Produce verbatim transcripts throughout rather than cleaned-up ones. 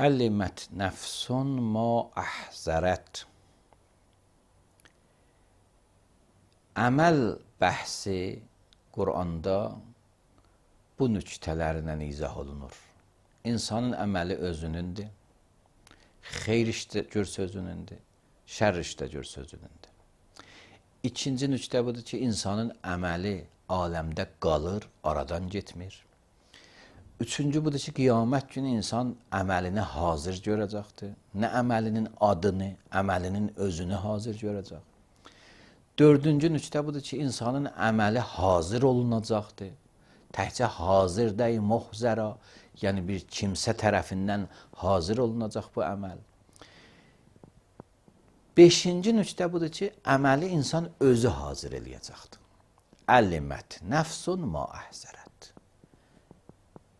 Əlimət nəfsun ma əhzərət. Əməl bəhsi Quranda bu nüktələrlə izah olunur. İnsanın əməli özünündür. Xeyr işdə görsə özünündür. Şər işdə görsə özünündür. İkinci nüktə budur ki, insanın əməli aləmdə qalır, aradan getmir. Üçüncü budur ki, qiyamət günü insan əməlini hazır görəcəkdir. Nə əməlinin adını, əməlinin özünü hazır görəcək. Dördüncü nüktə budur ki, insanın əməli hazır olunacaqdır. Təkcə hazır deyil, muhzəra, yəni bir kimsə tərəfindən hazır olunacaq bu əməl. Beşinci nüktə budur ki, əməli insan özü hazır eləyəcəkdir. Əlimət nəfsun ma əhzərət.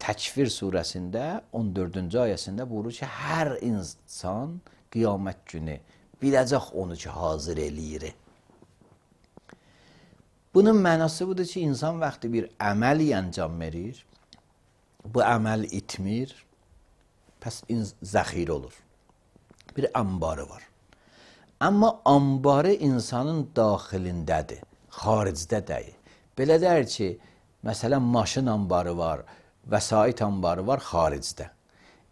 Təkvir surəsində on dördüncü ayəsində buyurur ki, hər insan qiyamət günü biləcək onu ki, hazır eləyir. Bunun mənası budur ki, insan vaxtı bir əməl əncam verir, bu əməl itmir, pəs zəxirə olur. Bir ambarı var. Amma ambarı insanın daxilindədir, xaricdə deyil. Belə deyir ki, məsələn, maşın ambarı var, vəsait ambarı var xaricdə.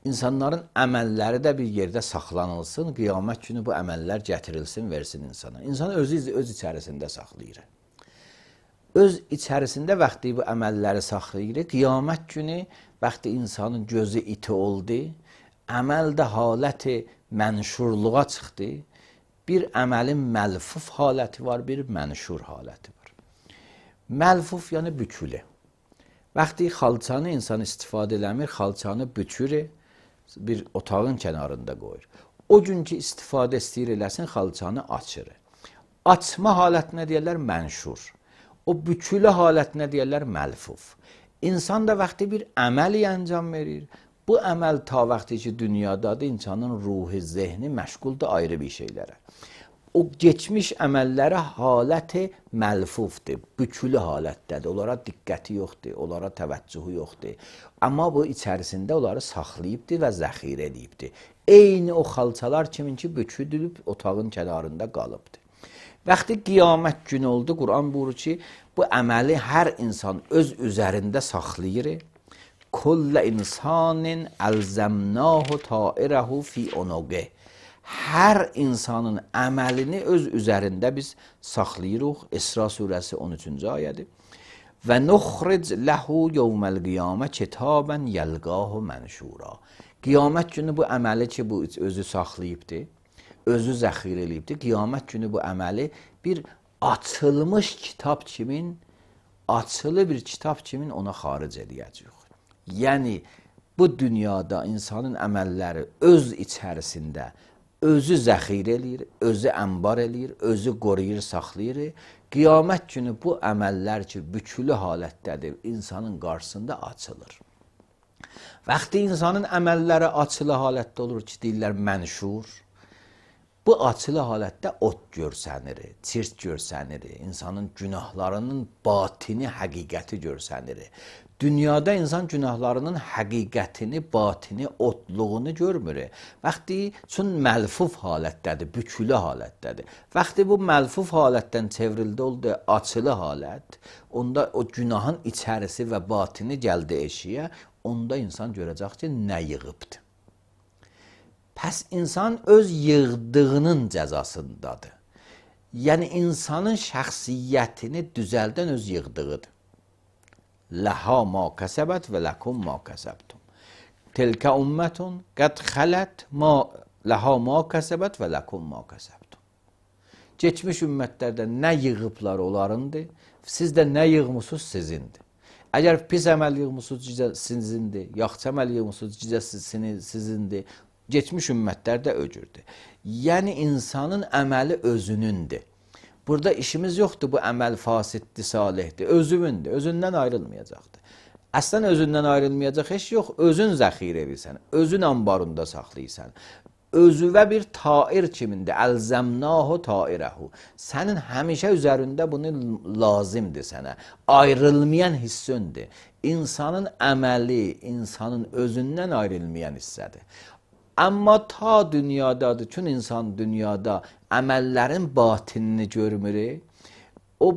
İnsanların əməlləri də bir yerdə saxlanılsın, qiyamət günü bu əməllər gətirilsin, versin insana. İnsan özü öz içərisində saxlayır. Öz içərisində vaxtı bu əməlləri saxlayır. Qiyamət günü vaxtı insanın gözü iti oldu, əməl də haləti mənşurluğa çıxdı. Bir əməlin məlfuf haləti var, bir mənşur haləti var. Məlfuf yəni bükülü. Vaxtı xalçanı insan istifadə eləmir, xalçanı bükür, bir otağın kənarında qoyur. O gün ki, istifadə istəyir eləsin, xalçanı açır. Açma halətinə deyərlər mənşur. O bükülü halətinə deyərlər məlfuf. İnsan da vaxtı bir əməli əncam verir. Bu əməl ta vaxtı ki, dünyadadır, insanın ruhu, zehni məşğuldur ayrı bir şeylərə. O geçmiş əməlləri haləti məlfufdur, bükülü halətdədir. Onlara diqqəti yoxdur, onlara təvəccühü yoxdur. Amma bu içərisində onları saxlayıbdır və zəxirə edibdir. Eyni o xalçalar kimin ki, büküdülüb otağın kənarında qalıbdır. Vaxtı qiyamət günü oldu, Quran buyurur ki, bu əməli hər insan öz üzərində saxlayır. Kullə insanin əlzəmnahu tairəhu fi onoqeh. Hər insanın əməlini öz üzərində biz saxlayırıq. İsra surəsi on üçüncü ayədir. Və nuxric ləhu yevməl qiyamə kitabən yəlqahu mənşura. Qiyamət günü bu əməli ki, bu özü saxlayıbdır, özü zəxir eləyibdir. Qiyamət günü bu əməli bir açılmış kitab kimin, açılı bir kitab kimin ona xaric edəcəyik. Yəni, bu dünyada insanın əməlləri öz içərisində özü zəxir eləyir, özü ənbar eləyir, özü qoruyur, saxlayır. Qiyamət günü bu əməllər ki, bükülü halətdədir, insanın qarşısında açılır. Vaxtı insanın əməlləri açılı halətdə olur ki, deyirlər mənşur. Bu açılı halətdə ot görsənir, çirt görsənir, insanın günahlarının batini, həqiqəti görsənir. Dünyada insan günahlarının həqiqətini, batini, otluğunu görmür. Vaxtı üçün məlfuf halətdədir, bükülü halətdədir. Vaxtı bu məlfuf halətdən çevrildi oldu açılı halət, onda o günahın içərisi və batini gəldi eşiyə, onda insan görəcək ki, nə yığıbdır. Pəs insan öz yığdığının cəzasındadır. Yəni, insanın şəxsiyyətini düzəldən öz yığdığıdır. Ləhə ma kəsəbət və ləkum ma kəsəbtum. Tilkə ümmətun qəd xələt ləhə ma kəsəbət və ləkum ma kəsəbtum. Geçmiş ümmətlərdə nə yığıblar onlarındır, siz də nə yığmısınız sizindir. Əgər pis əməl yığmısınız sizindir, yaxşı əməl yığmısınız sizindir, geçmiş ümmətlər də öcürdür. Yəni, insanın əməli özünündür. Burada işimiz yoxdur, bu əməl fasiddir, salihdir, özümündür, özündən ayrılmayacaqdır. Əslən özündən ayrılmayacaq heç yox, özün zəxir edirsən, özün ambarında saxlayırsan. Özüvə bir tair kimindir, əlzəmnahu tairəhu. Sənin həmişə üzərində bunu lazimdir sənə, ayrılmayan hissöndir. İnsanın əməli, insanın özündən ayrılmayan hissədir. Amma ta dünyadadır. Çün insan dünyada əməllərin batinini görmür, o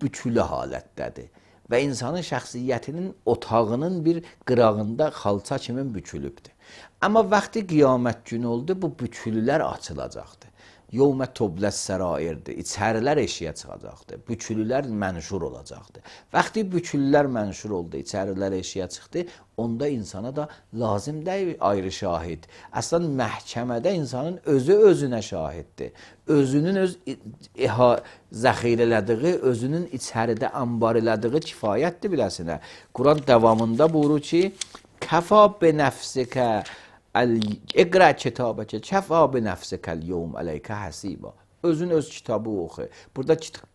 bütülü halətdədir. Və insanın şəxsiyyətinin otağının bir qırağında xalça kimi bükülübdür. Amma vaxtı qiyamət günü oldu, bu bütülülər açılacaqdır. Yevmə tobləs sərairdir. İçərilər eşiyə çıxacaqdır. Bükülülər mənşur olacaqdır. Vaxtı bükülülər mənşur oldu, içərilər eşiyə çıxdı, onda insana da lazım deyil ayrı şahid. Əslən, məhkəmədə insanın özü özünə şahiddir. Özünün öz zəxir elədiği, özünün içəridə ambar elədiği kifayətdir biləsinə. Quran davamında buyurur ki, kəfa be nəfsikə İqra kitabəkə kəfa bi nəfsikəl yevm əleykə həsiba. Özün öz kitabı oxu. Burada kitab,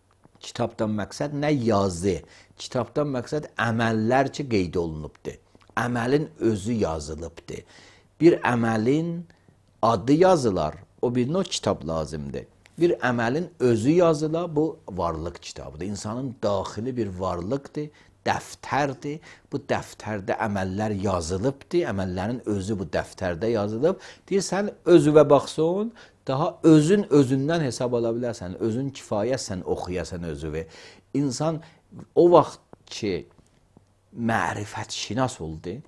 kitabdan məqsəd nə yazı? Kitabdan məqsəd əməllər ki, qeyd olunubdur. Əməlin özü yazılıbdır. Bir əməlin adı yazılar, o birinə o kitab lazımdır. Bir əməlin özü yazılar, bu varlıq kitabıdır. İnsanın daxili bir varlıqdır, dəftərdir. Bu dəftərdə əməllər yazılıbdır. Əməllərin özü bu dəftərdə yazılıb. Deyirsən, özüvə baxsın, daha özün özündən hesab ala bilərsən. Özün kifayətsən, oxuyasən özüvə. İnsan o vaxt ki, mərifət şinas oldu,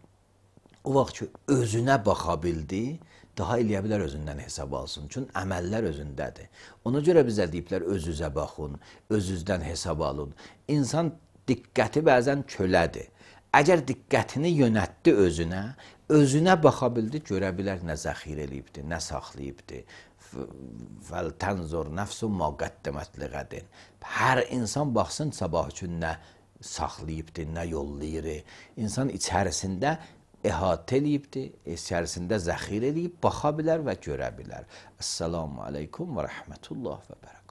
o vaxt ki, özünə baxa bildi, daha eləyə bilər özündən hesab alsın. Çünki əməllər özündədir. Ona görə bizə deyiblər, özünüzə baxın, özünüzdən hesab alın. İnsan diqqəti bəzən kölədir. Əgər diqqətini yönətdi özünə, özünə baxa bildi, görə bilər nə zəxir eləyibdir, nə saxlayıbdır. Fəltənzur nəfsun ma qəddəmət liğədin. Hər insan baxsın sabah üçün nə saxlayıbdır, nə yollayır. İnsan içərisində əhatə eləyibdir, içərisində zəxir eləyib, baxa bilər və görə bilər. Əssalamu aleykum və rəhmətullah və bərəkət.